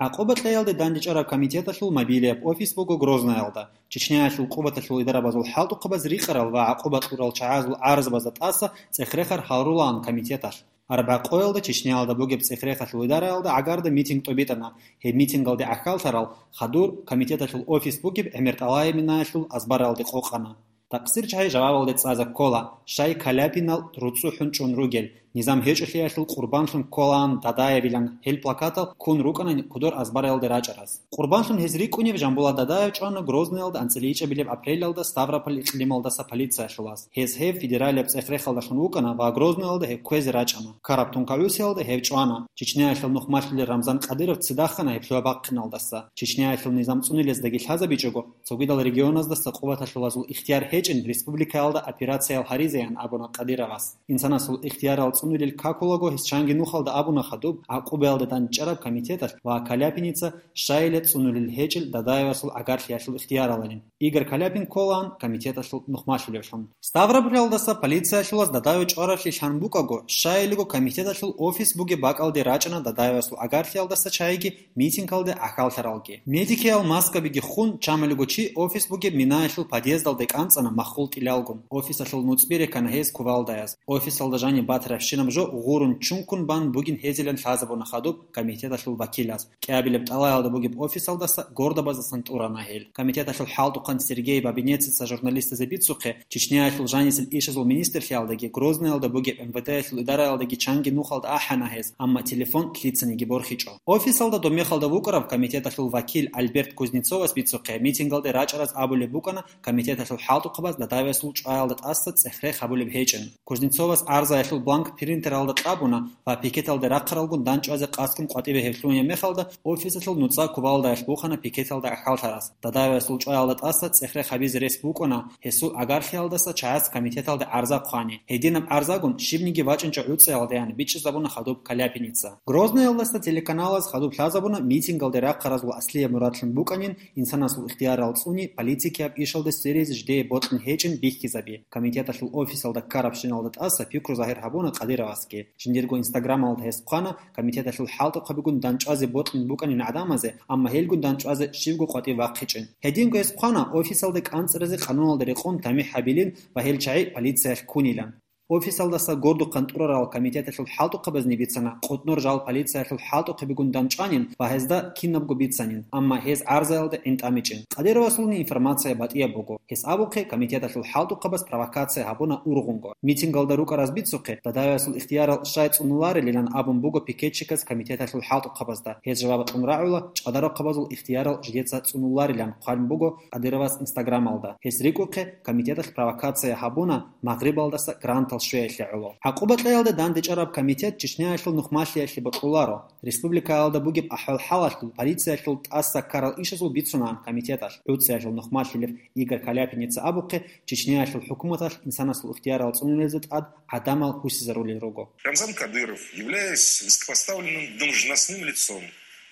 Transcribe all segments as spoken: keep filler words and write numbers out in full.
ГӀакъуба кьеялде дандечӀараб комитеталъул мобилияб офис буго Грознаялда. Чечняялъул къубаталъул идарабазул хӀалтӀухъабаз рикъарал ва гӀакъуба кьурал чагӀазул гӀарзабазда тӀаса цӀех-рехар гьарулаан комитеталъ. Арбякъоялда Чечняялда бугеб цӀех-рехалъул идараялда гӀагарда митинг тӀобитӀана. Гьеб митингалде гӀахьаллъарал хадур комитеталъул офис бугеб ГӀемертӀалаев Минаялъул азбаралде къокъана. Такъсир чагӀи жавабалде цӀаза ккола, щай Каляпинал руцӀцӀухӀун чӀун ругел, низам гьечӀолъиялъул къурбанлъун кколаан Дадаевилан гьел плакатал ккун рукӀана кудор азбаралде рачӀараз. Къурбанлъун гьез рикӀкӀунев Жамбулат Дадаев чӀвана Грозныялда анцӀила ичӀабилеб апрелалда Ставрополь икълималдаса полициялъулас. Гьез гьев федералияб цӀех-рехалдалъун вукӀана ва Грозныялда гьев кквезе рачӀана. Ккараб тункагӀусиялда гьев чӀвана. Чечняялъул нухмалъулел Рамзан Кадыров ццидахъана гьеб лъугьа-бахъиналдаса. Чечняялъул низам цӀунилездаги лъазабичӀого, цогидал регионаздаса къуваталъулазул ихтияр гьечӀин республикаялда операциял гьаризеян абуна Кадыровас. Инсанасул ихтиярал цӀунулел какулаго гьес чанги нухалда абуна хадуб, гӀакъубаялда дандчӀараб комитеталъ ва Каляпиница щайила цӀунулел гьечӀел Дадаевасул гӀагарлъиялъул ихтияралалин. Игорь Каляпин кколаан комитеталъул нухмалъулевлъун. Ставропольалдаса полициялъулаз Дадаев чӀваравлъи лъан букӀаго, щайилго комитеталъул офис бугеб бакӀалде рачӀана Дадаевасул гӀагарлъиялдаса чагӀиги митингалде гӀахьаллъаралги. Медикиял маскабиги хун, чамалиго чи офис бугеб Минаялъул подъездалде кӀанцӀана маххул тӀилалгун. Офисалъул нуцӀби рекана гьез кувалдаяз. Офисалда жаниб батарабщинаб жо гъурун чункун бан бугин гьезилан лъазабуна хадуб комитеталъул вакилаз. КӀиабилеб тӀалаялда бугеб офисалдаса гордабазасан тӀурана гьел. Комитеталъул хӀалтӀухъан Сергей Бабинецица журналистазе бицухъе, Чечняялъул жанисел ишазул министрлъиялдаги Грозныялда бугеб МВД-ялъул идараялдаги чанги нухалда ахӀана гьез, амма телефон лъицаниги борхичӀо. Офисалда домехалда вукӀараб комитеталъул вакил Альберт Кузнецовас бицухъе, митингалде рачӀараз абулеб букӀана комитеталъул хӀалтӀухъабаз Дадаевасул чӀваялда тӀаса цӀех-рех гьабулеб гьечӀин. Кузнецовас гӀарзаялъул бланк принтералда кьабуна ва пикеталде рахъаралгун дандчӀвазе къасгун къватӀибе гьеб лъугьунеб мехалда, офисалъул нуцӀа кувалдаялъ бухана пикеталда гӀахьаллъарас. Дадаевасул чӀваялда тӀаса цӀех-рех гьабизе рес букӀана гьесул гӀагарлъиялдаса чагӀаз комитеталде гӀарза хъвани. Гьединаб гӀарзагун щибниги вачӀинчӀо гӀуцӀиялдаян бичӀчӀизабуна хадуб Каляпиница. Грозныялдаса телеканалаз хадуб лъазабуна митингалде рахъаразул аслияб мурадлъун букӀанин инсанасул ихтиярал цӀуни политикияб ишалде сверизе жидее бокьун гьечӀин бихьизаби. Комитеталъул офисалда ккарабщиналда тӀаса пикру загьир гьабуна Кадыровасги. Жиндирго инстаграмалда гьес хъвана, комитеталъул хӀалтӀухъабигун дандчӀвазе бокьун букӀанин гӀадамазе, амма гьелгун дандчӀвазе щибго къватӀив вахъичӀин. Гьединго гьес хъвана, офисалда кӀанцӀаразе къануналда рекъон тамихӀ гьабилин ва гьел чагӀи полициялъ ккунилан. Офисалдаса гордухъан тӀурарал комитеталъул хӀалтӀухъабазни бицана, къутӀнур жал полициялъул хӀалтӀухъабигун дандчӀванин ва гьезда кинабго бицанин, амма гьез гӀарзаялда гӀинтӀамичӀин. Кадыровасулни информация батӀияб буго. Гьес абухъе, комитеталъул хӀалтӀухъабаз провокация гьабуна ургъунго. Митингалда рукӀараз бицухъе, Дадаевасул ихтиярал щай цӀунуларилилан абун буго пикетчиказ комитеталъул хӀалтӀухъабазда. Гьез жаваб кьун рагӀула, чӀадарухъабазул ихтиярал жидеца цӀунуларилан хъван буго Кадыровас инстаграмалда. Гьес рикӀухъе, комитеталъ провокация гьабуна, Магърибалдаса грантал щвеялъе гӀоло. ГӀакъуба кьеялда дандечӀараб комитет Чечняялъул нухмалъиялъе бокьуларо. Республикаялда бугеб ахӀвал-хӀалалъул полициялъул тӀаса ккарал ишазул бицунаан комитеталъ. ГӀуцӀиялъул нухмалъилев Игорь Каляпиница абухъе, Чечняялъул хӀукуматалъ инсанасул ихтиярал цӀунулезе тӀад гӀадамал гьусизарулел руго. Рамзан Кадыров, являясь высокопоставленным должностным лицом,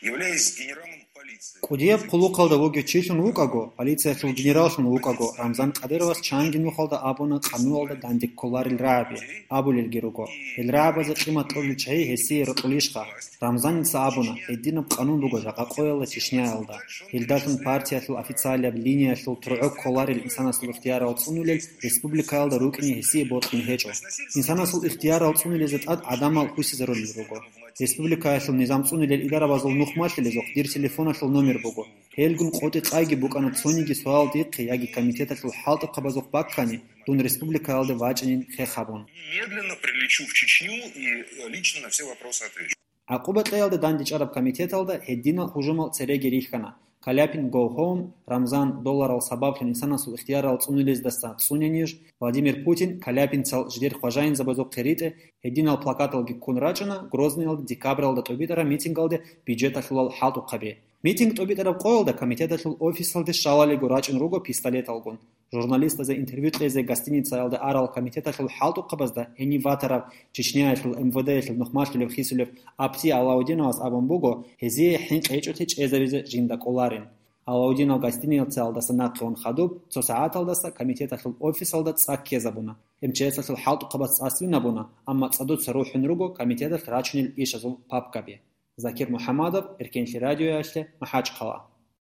являясь генералом полиции. КӀудияб хъулухъалда вугев чилъун вукӀаго, полициялъул генераллъун вукӀаго, Рамзан Кадыровас чанги нухалда абуна къануналда данде кколарел рагӀаби, абулелги руго. Гьел рагӀабазе къимат кьолел чагӀи гьесие рокьулищха? Рамзаница абуна, гьединаб къанун буго жакъа къоялда Чечняялда. Гьелдалъун партиялъул официалияб линиялъул тургӀо кколарел инсанасул ихтиярал цӀунулел республикаялда рукӀине гьесие бокьун гьечӀо. Инсанасул ихтиярал цӀунулезе тӀад гӀадамал гьусизарулел руго. Республикаялъул низам цӀунулел идарабазул нухмалъилезухъ дир телефоналъул номер буго. Гьелгун къотӀи-къайги букӀана цониги суал дихъе яги комитеталъул хӀалтӀухъабазухъ баккани, дун республикаялде вачӀинин хех гьабун. Немедленно прилечу в Чечню и, э, лично на все вопросы отвечу. ГӀакъуба кьеялда дандечӀараб комитеталда гьединал гьужумал цереги рихьана. Каляпин Go Home, Рамзан долларал сабаблъун инсанасул ихтиярал цӀунулездаса цӀунениж, Владимир Путин Каляпинцал жидер хважаинзабазухъе ритӀе, гьединал плакаталги ккун рачӀана Грозныйалда декабралда тӀубитӀараб митингалде бюджеталъулал хӀалтӀухъаби. Митинг тӀубитӀараб къоялда комитеталъул офисалде щалалиго рачӀун руго пистолеталгун. Журналистазе интервью кьезе гостиницаялда арал комитеталъул хӀалтӀухъабазда гьенив ватарав Чечняялъул МВД-ялъул нухмалъулев хисулев Апти Алаудиновас абун буго, гьезие хӀинкъи гьечӀолъи чӀезабизе жинда кӀоларин. Алаудинов гостиницаялдаса нахъе ун хадуб, цо сагӀаталдаса комитеталъул офисалда цӀа ккезабуна. МЧС-алъул хӀалтӀухъабаз цӀа свинабуна, амма цӀадуца рухӀун руго комитеталъ рачунел ишазул папкаби. Закир МухӀамадов, Эркенлъи радиоялъе, МахӀачхъала.